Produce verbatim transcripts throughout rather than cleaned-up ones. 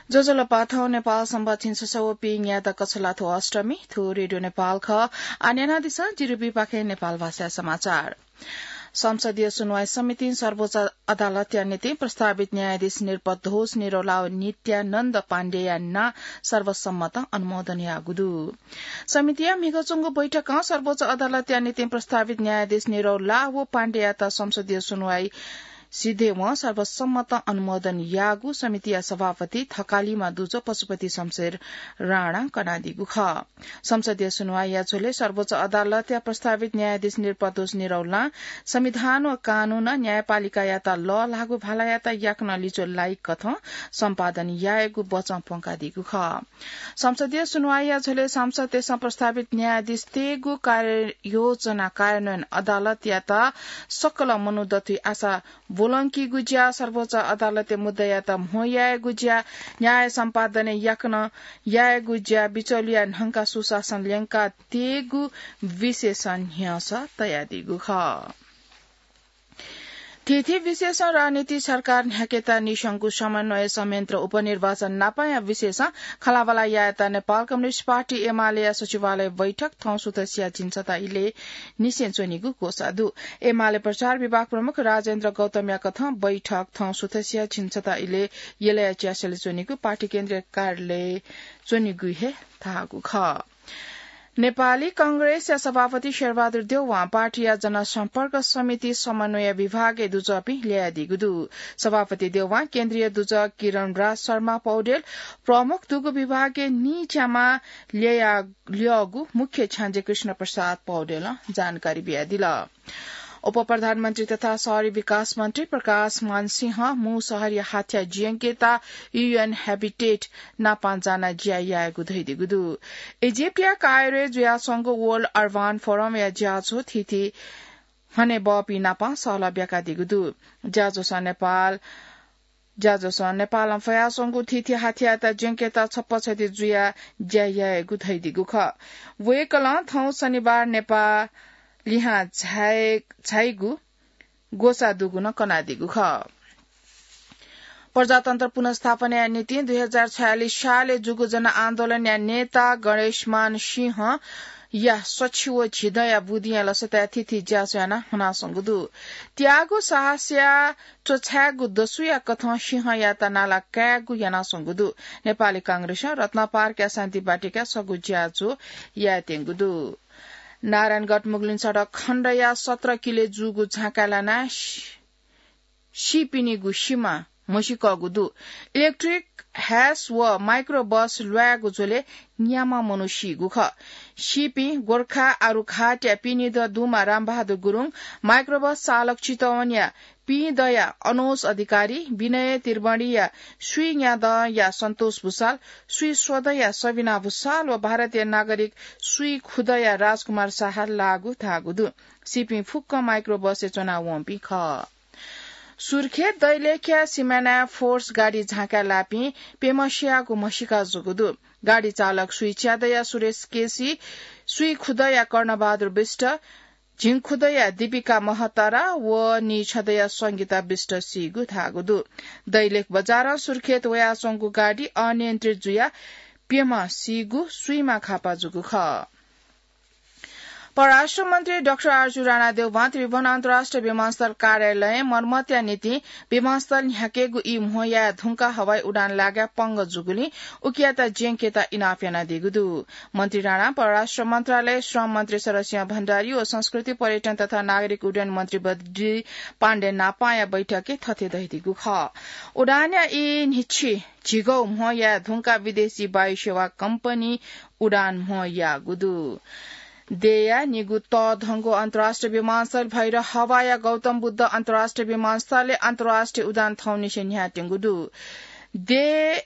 ज्वजलपा, थौं नेपाल संवत् झिंछसः व पीन्यादँ कछलाथ्व अष्टमी, थ्व रेडियो नेपाल खः। आः न्यनादिसँ जिरुबीपाखें नेपाल भाषाय् समाचार। संसदीय सुनवाई समितिं सर्वोच्च अदालतया निंतिं प्रस्तावित न्यायाधीश नृपद्वोष निरौला व नित्यानन्द पाण्डेया नां सर्वसम्मतं अनुमोदन याःगु दु। समितिया म्हिगः च्वंगु बैठकं सर्वोच्च अदालतया निंतिं प्रस्तावित न्यायाधीश निरौला व पाण्डेयात संसदीय सुनवाई सिधयेवं सर्वसम्मतं अनुमोदन याःगु समितिया सभापति थकालिमा दुजः पशुपति शमशेर राणां कनादीगु खः। संसदीय सुनवाईया झ्वलय् सर्वोच्च अदालतया प्रस्तावित न्यायाधीश नृपद्वोष निरौलां संविधान व कानूनं न्यायपालिकायात लःल्हाःगु भालायात याकनं लिच्वः लाइकथं सम्पादन यायेगु बचं प्वंकादीगु खः। संसदीय सुनवाईया झ्वलय् सांसदतय्सं प्रस्तावित न्यायाधीशतय्गु कार्ययोजना कार्यान्वयन अदालतयात सकल मनू दथुइ आशा ब्वलंकीगु ज्या, सर्वोच्च अदालतय् मुद्दायात म्हो यायेगु ज्या, न्याय सम्पादनय् याकनं यायेगु ज्या, बिचौलिया न्हंका सुशासन ल्यंकातयेगु विषयसं न्ह्यसः तयादीगु खः। थीथी विषयसं राजनीति सरकार न्ह्याकेत निशंकु समन्वय संयन्त्र उपनिर्वाचन नापंया विषयसं खँल्हाबल्हा यायेत नेपाल कम्युनिस्ट पार्टी एमालेया सचिवालय बैठक थौं सुथसिया झिंछता इलय् निसें च्वनीगु ग्वसाः दु। एमाले प्रचार विभाग प्रमुख राजेन्द्र गौतमया कथं बैठक थौं सुथसिया झिंछता इलय् यलया च्यासलय् च्वनीगु पार्टी केन्द्रीय कार्यालयय् च्वनीगु हे धाःगु खः। नेपाली कांग्रेसया सभापति शेरबहादुर देउवां पार्टीया जनसम्पर्क समिति समन्वय विभागय् दुजःपिं ल्ययादीगु दु। सभापति देउवां केन्द्रीय दुजः किरणराज शर्मा पौडेल, प्रमुख दुगु विभागय् नीच्यामा ल्यया-, ल्यःगु मुख्य छ्याञ्जे कृष्ण प्रसाद पौडेलं जानकारी बियादिल। उपप्रधानमन्त्री तथा शहरी विकास मन्त्री प्रकाश मान सिंहं मू शहरया हाथ्या ज्यंकेत यूएन Habitat नापं जानाः ज्या यायेगु धयादीगु दु। इजिप्टया कायरोय् जुयाच्वंगु World Urban Forumया ज्याझ्वः थीथी हनेबहःपिं नापं सहलह ब्याकादीगु दु। ज्याझ्वलं नेपाल ज्याझ्वलं नेपालं फयाच्वंगु थीथी हाथ्यात ज्यंकेत छप्पछति जुयाः ज्या यायेगु धयादीगु खः। वय्कलं थौं शनिबार नेपाः लिहां झाये-, झाइगु ग्वसाः दुगु नं कनादीगु खः। प्रजातन्त्र पुनर्स्थापनाया निंतिं दुई हजार छयालिस सालय् जूगु जनआन्दोलनया नेता गणेशमान सिंहया सछि व झिदँया बुदिंया लसताय् थीथी ज्याझ्वः यानाः हनाच्वंगु दु। त्यागु साहसया च्वछाय्गु दसुया कथं सिंहयात नाला कायेगु यानाच्वंगु दु। नेपाली कांग्रेसं रत्नपार्कया शान्ति बाटिकाय् छगू ज्याझ्वः यायेत्यंगु दु। नारायणगढ मुगलिन सडक खण्डया सत्र किलोय् जूगु झाँकाय् लानाः सि-, सीपिनिगु सिमा म्हसीकःगु दु। इलेक्ट्रिक ह्यास व माइक्रो बस ल्वायेगु झ्वलय् न्याम्ह मनू सीगु खः। सीपिं गोर्खा आरुघाटया पिनिदँ दुम्ह रामबहादुर गुरुङ, माइक्रो बस चालक चितवनया पिदँया अनोज अधिकारी, विनय त्रिवेणीया स्वीन्यादँया सन्तोष भुसाल, स्वीस्वदँया सबिना भुसाल व भारतीय नागरिक स्वीखुदँया राजकुमार शाह लाःगु धाःगु दु। सीपिं फुक्कं माइक्रो बसय् च्वनावंपिं खः। सुर्खेत दैलेखया सिमानाय् फोर्स गाडी झाँकाय् लाःपिं प्यम्ह सियागु म्हसीका जूगु दु। गाडी चालक स्वीच्यादँया सुरेश केसी, स्वीखुदँया कर्णबहादुर विष्ट, झिंखुदँया दीपिका महतरा व नीछदँया संगीता विष्ट सीगु धाःगु दु। दैलेख बजारं सुर्खेत वयाच्वंगु गाडी अनियन्त्रित जुयाः प्यम्ह सीगु स्वीम्ह घाःपा जूगु खः। परराष्ट्र मन्त्री डाक्टर आरजु राणा देउवां त्रिभुवन अन्तर्राष्ट्रिय विमानस्थल कार्यालयं मर्मतया निंतिं विमानस्थल न्ह्याकेगु ई म्हो याये धुंकाः हवाई उडान लागाय् पंगः जूगुलिं उकियात ज्यंकेत इनाप यानादीगु दु। मन्त्री राणां परराष्ट्र मन्त्रालय, श्रम मन्त्री शरदसिंह भण्डारी व संस्कृति, पर्यटन तथा नागरिक उड्डयन मन्त्री बद्री पाण्डे नापांया बैठकय् थथे धयादीगु खः। उडानया ई न्हिच्छि झिगू म्हो याये धुंकाः विदेशी वायुसेवा कम्पनी उडान म्हो याःगु दु। देय्‌या निगू तःधंगु अन्तर्राष्ट्रिय विमानस्थल भएर हवाया गौतम बुद्ध अन्तर्राष्ट्रिय विमानस्थलय् अन्तर्राष्ट्रिय उडान थौंनिसें न्ह्याःत्यंगु दु। देय्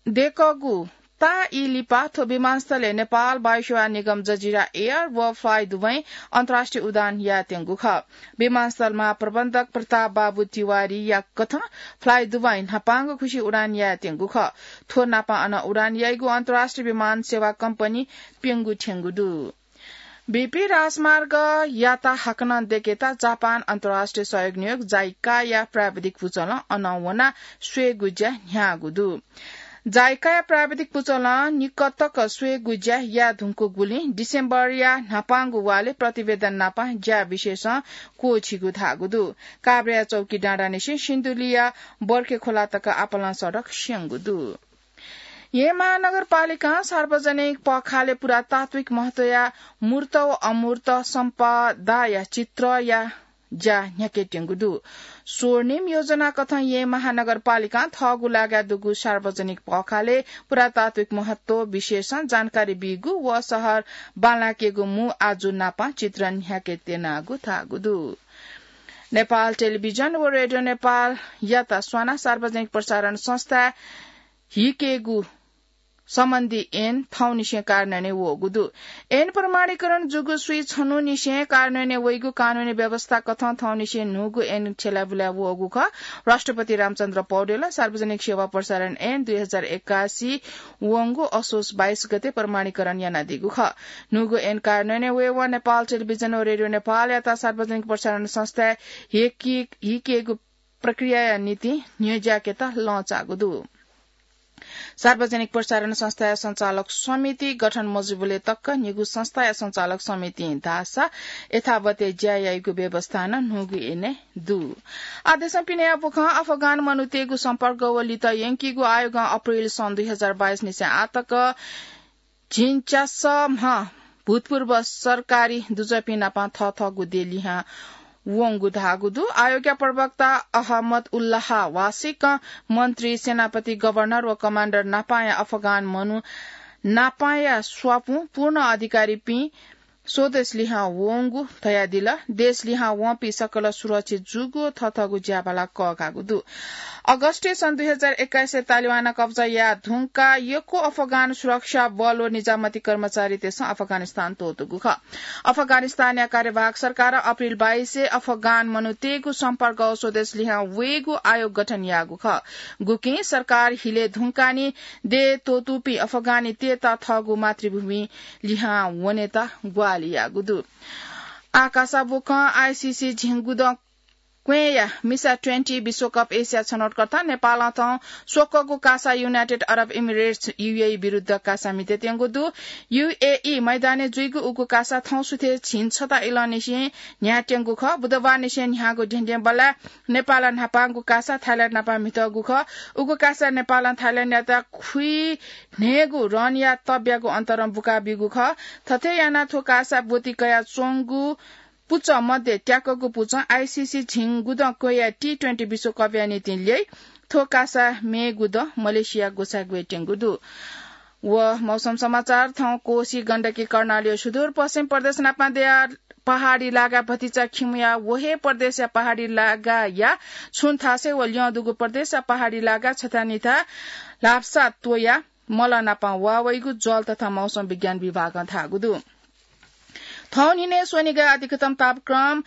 दय्‌कूगु ताःई लिपा थ्व विमानस्थलय् नेपाल वायुसेवा निगम, जजिरा एयर व फ्लाइदुवैं अन्तर्राष्ट्रिय उडान यायेत्यंगु खः। विमानस्थल महाप्रबन्धक प्रताप बाबु तिवारीया कथं फ्लाइदुवैं न्हापांगु खुसि उडान यायेत्यंगु खः। थ्व नापं अन उडान याइगु अन्तर्राष्ट्रिय विमान सेवा कम्पनी प्यंगू थ्यंगु दु। बीपी राजमार्ग याता हाकनं देकेता जापान अन्तर्राष्ट्रिय सहयोग नियोग जाइकाया प्राविधिक पुचलं अनं वना स्वयेगु ज्या न्ह्याःगु दु। जाइकाया प्राविधिक पुचलं निकतक स्वयेगु ज्या याये धुंकूगुलिं डिसेम्बरया न्हापांगु वाले प्रतिवेदन नापं ज्या विशेषं क्वःछिगु धाःगु दु। काभ्रेया चौकी डाँडानिसें सिन्धुलीया बर्खे खोला तक आपालं सडक स्यंगु दु। येँ महानगरपालिकां सार्वजनिक पखाले पुरातात्विक महत्वया मूर्त व अमूर्त सम्पदाया चित्रया ज्या न्ह्याकेत्यंगु दु। स्वर्णिम योजना कथं येँ महानगरपालिकां थःगु लागाय् दुगु सार्वजनिक पखाले पुरातात्विक महत्व विशेषं जानकारी बीगु व शहर बांलाकेगु मू आजु नापं चित्र न्ह्याकेत्यनागु धाःगु दु। नेपाल टेलिभिजन व रेडियो नेपालयात स्वाना सार्वजनिक प्रसारण संस्था हिकेगु सम्बन्धी ऐन थौंनिसें कार्यान्वयनय् वःगु दु। ऐन प्रमाणीकरण जूगु स्वीछन्हुनिसें कार्यान्वयनय् वइगु कानूनी व्यवस्था कथं थौंनिसें न्हूगु ऐन छ्यलाबुलाय् वःगु खः। राष्ट्रपति रामचन्द्र पौडेलं सार्वजनिक सेवा प्रसारण ऐन दुई हजार एकासी वंगु असोज बाइस गते प्रमाणीकरण यानादीगु खः। न्हूगु ऐन कार्यान्वयनय् वयेवं नेपाल टेलिभिजन व रेडियो नेपालयात सार्वजनिक प्रसारण संस्था हिके-, हिकेगु प्रक्रियाया निंतिं न्ह्यज्याकेत लँचाःगु दु। सार्वजनिक प्रसारण संस्थाया सञ्चालक समिति गठन मजुबलय् तक न्हिगू संस्थाया सञ्चालक समितिं धाःसा यथावतय् ज्या याइगु व्यवस्था नं न्हूगु ऐनय् दु। आदेशं पिने बुखं अफगान मनूतय्गु सम्पर्क व लित यंकीगु आयोगं अप्रिल सन् दुई हजार बाइस निसें आतक झिंच्यासम्ह भूतपूर्व सरकारी दुजःपिं नाप थःथःगु देय् लिहां वंगु धाःगु दु। आयोगया प्रवक्ता अहमद उल्लाह वासिकं मन्त्री, सेनापति, गभर्नर व कमाण्डर नापाया अफगान मनू नापाया स्वापुं पूर्ण अधिकारीपिं स्वदेश लिहां वंगु धयादिल। देश लिहां वंपिं सकल सुरक्षित जूगु थःथःगु ज्याभाला कःघाःगु दु। अगस्टय् सन् दुई हजार एक्काइसय् तालिबानं कब्जा याये धुंकाः यक्व अफगान सुरक्षा बल व निजामती कर्मचारीतय्सं अफगानिस्तान त्वःतूगु खः। अफगानिस्तानया कार्यवाहक सरकारं अप्रिल बाइसय् अफगान मनूतय्गु सम्पर्क व स्वदेश लिहां वयेगु आयोग गठन याःगु खः। गुकिं सरकार हिले धुंकाः निं देय् त्वःतूपिं अफगानीतय्त थःगु मातृभूमि लिहां वनेत ग्वाहालि याःगु दु। आकाशा बुखं आइसिसी झिंगुदँ क्वँय्या मिसा ट्वेन्टी विश्वकप एसिया छनौटकर्ता नेपालं थौं स्वकःगु कासा युनाइटेड अरब इमिरेट्स, युएई, विरुद्ध कासा म्हितेत्यंगु दु। युएई मैदानय् जुइगु उगु कासा थौं सुथय् झिंछता इलंनिसें न्ह्यात्यंगु खः। बुधबारनिसें न्ह्याःगु धेंधेंबल्लाय् नेपालं न्हापांगु कासा थाइल्याण्ड नाप म्हितःगु खः। उगु कासा नेपालं थाइल्याण्डयात खुइन्हय्गु रनया तब्यागु अन्तरं बुकाबीगु खः। थथे यानाः थ्व कासा ब्वति कयाच्वंगु पुचः मध्ये त्याकःगु पुचः आइसिसी झिंगुदँ क्वँय्या टी ट्वेन्टी विश्वकपया निंतिं ल्यइ। थ्व कासा मेगु दँ मलेसिया ग्वसाय् ग्वयेत्यंगु दु। व मौसम समाचार। थौं कोसी, गण्डकी, कर्णाली व सुदूरपश्चिम प्रदेश नापं दयाः पहाडी लागा भतिचा खिउँया व हे प्रदेशया पहाडी लागाया छुं थासय् व ल्यं दुगु प्रदेशया पहाडी लागा छथानिथा ल्हापसा त्वयाः मल नापं वाः वइगु जल तथा मौसम विज्ञान विभागं धाःगु दु। थौं न्हिनय् स्वनिगः अधिकतम तापक्रम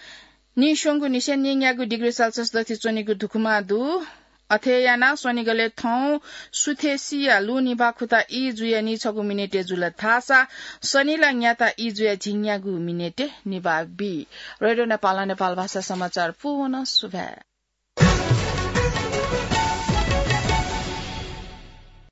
नीस्वंगू निसें नीन्यागू डिग्री सेल्सियस दथि च्वनीगु धुकुमा दु। अथे यानाः स्वनिगलय् थौं सुथसिया लु निभाः खुता ई जुयाः नीछगू मिनेटय् जुल धाःसा शनिला न्याता ई जुयाः झिंन्यागू मिनेटय् निभाः बी। रेडियो नेपालं नेपाल भाषा समाचार पूवं सुभाय्।